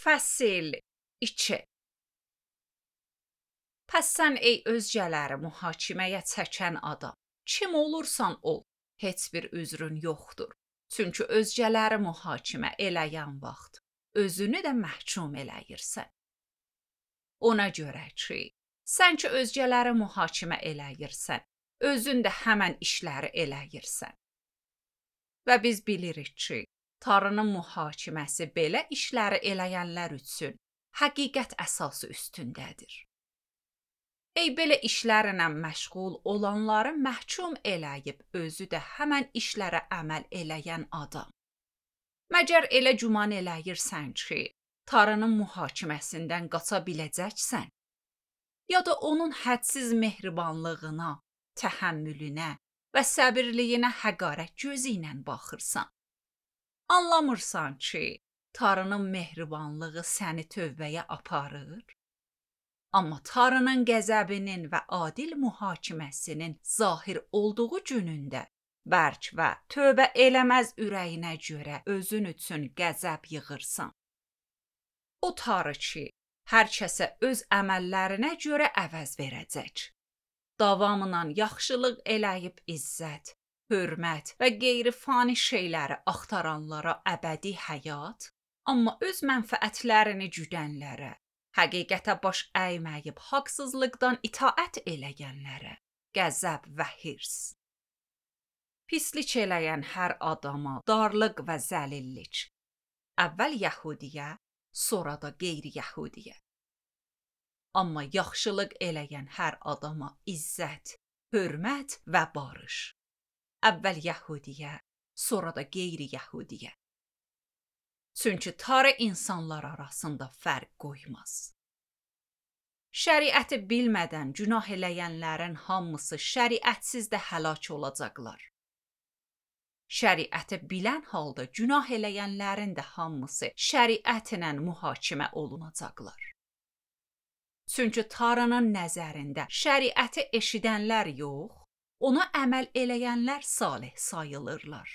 Fəsil 2. Pəs sən ey özgələri mühakiməyə çəkən adam, kim olursan ol, heç bir üzrün yoxdur. Çünki özgələri mühakimə eləyən vaxt özünü də məhkum eləyirsən. Ona görə ki, sən ki özgələri mühakimə eləyirsən, özün də həmən işləri eləyirsən. Və biz bilirik ki, Tanrının mühakiməsi belə işləri eləyənlər üçün həqiqət əsası üstündədir. Ey belə işlərlə məşğul olanları məhkum eləyib özü də həmən işlərə əməl eləyən adam. Məgər elə güman eləyirsən ki, Tanrının mühakiməsindən qaça biləcəksən? Ya da onun hədsiz mehribanlığına, təhəmmülünə və səbirliyinə həqarət gözü ilə baxırsan? Anlamırsan ki, Tanrının mehribanlığı səni tövbəyə aparır? Amma Tanrının qəzəbinin və adil mühakiməsinin zahir olduğu günündə bərk və tövbə eləməz ürəyinə görə özün üçün qəzəb yığırsan. O Tanrı ki, hər kəsə öz əməllərinə görə əvəz verəcək. Davamla yaxşılıq eləyib izzət, hörmət və qeyri-fani şeyləri axtaranlara əbədi həyat, amma öz mənfəətlərini güdənlərə, həqiqətə baş əyməyib haqsızlıqdan itaət eləyənlərə qəzəb və hirs. Pislik eləyən hər adama darlıq və zəlillik. Əvvəl yəhudiyə, sonra da qeyri-yəhudiyə. Amma yaxşılıq eləyən hər adama izzət, hörmət və barış. Əvvəl yəhudiyə, sonra da qeyri-yəhudiyə. Çünki Tanrı insanlar arasında fərq qoymaz. Şəriəti bilmədən günah eləyənlərin hamısı şəriətsiz də həlak olacaqlar. Şəriəti bilən halda günah eləyənlərin də hamısı şəriətlə mühakimə olunacaqlar. Çünki Tanrının nəzərində şəriəti eşidənlər yox, ona əməl eləyənlər salih sayılırlar.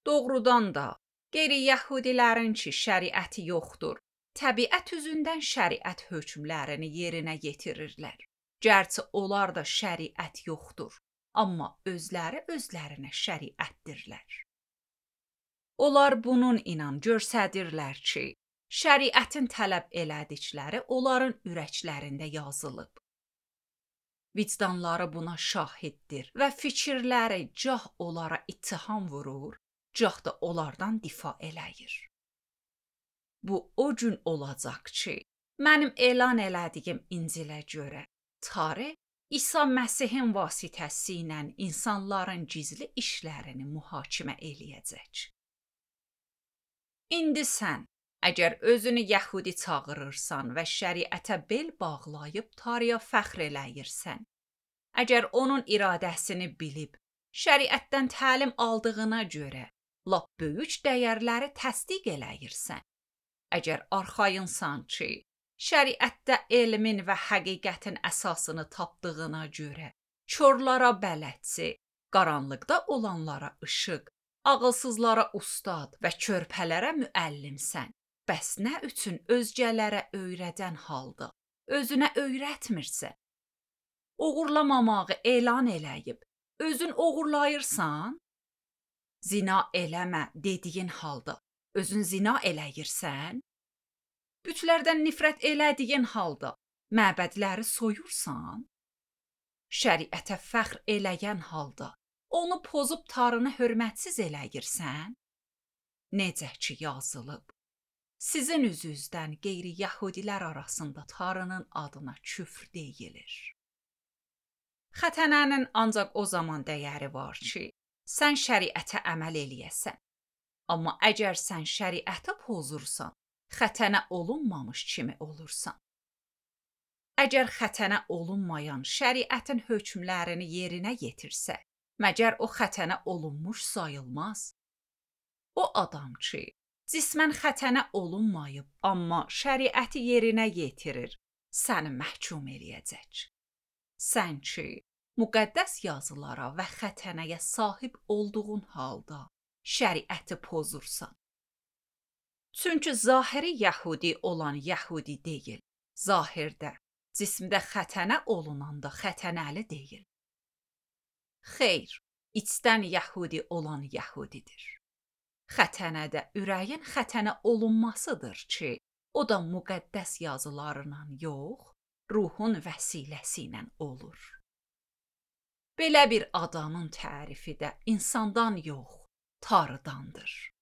Doğrudan da, qeyri-yəhudilərin ki şəriəti yoxdur, təbiət üzündən şəriət hökmlərini yerinə yetirirlər. Gərçi onlar da şəriət yoxdur, amma özləri özlərinə şəriətdirlər. Onlar bunun inan göstərirlər ki, şəriətin tələb elədikləri onların ürəklərində yazılıb. Vicdanları buna şahiddir və fikirləri cah onlara ittiham vurur, cah da onlardan difa eləyir. Bu o gün olacaq ki, mənim elan elədiyim İncilə görə Tanrı İsa Məsihin vasitəsi ilə insanların gizli işlərini mühakimə eləyəcək. İndi sən, əgər özünü yəhudi çağırırsan və şəriətə bel bağlayıb Tanrıya fəxr eləyirsən, əgər onun iradəsini bilib, şəriətdən təlim aldığına görə lap böyük dəyərləri təsdiq eləyirsən, əgər arxayınsan ki, şəriətdə elmin və həqiqətin əsasını tapdığına görə körlara bələdçi, qaranlıqda olanlara işıq, ağılsızlara ustad və körpələrə müəllimsən, bəs nə üçün özgələrə öyrədən halda özünə öyrətmirsən? Oğurlamamağı elan eləyib, özün oğurlayırsan? Zina eləmə dediyin halda özün zina eləyirsən? Bütlərdən nifrət elədiyin halda məbədləri soyursan? Şəriətə fəxr eləyən halda onu pozub Tanrını hörmətsiz eləyirsən? Necə ki yazılıb, sizin üzünüzdən qeyri-yəhudilər arasında Tanrının adına küfr deyilir. Xətənənin ancaq o zaman dəyəri var ki, sən şəriətə əməl eləyəsən. Amma əgər sən şəriətə pozursan, xətənə olunmamış kimi olursan. Əgər xətənə olunmayan şəriətin hökmlərini yerinə yetirsə, məgər o xətənə olunmuş sayılmaz? O adam ki, cismən xətənə olunmayıb, amma şəriəti yerinə yetirir, səni məhkum eləyəcək. Sən ki, müqəddəs yazılara və xətənəyə sahib olduğun halda şəriəti pozursan. Çünki zahiri yəhudi olan yəhudi deyil. Zahirdə, cismdə xətənə olunanda xətənəli deyil. Xeyr, içdən yəhudi olan yəhudidir. Xətənədə ürəyin xətənə olunmasıdır ki, o da müqəddəs yazılarla yox, ruhun vəsiləsi ilə olur. Belə bir adamın tərifi də insandan yox, Tanrıdandır.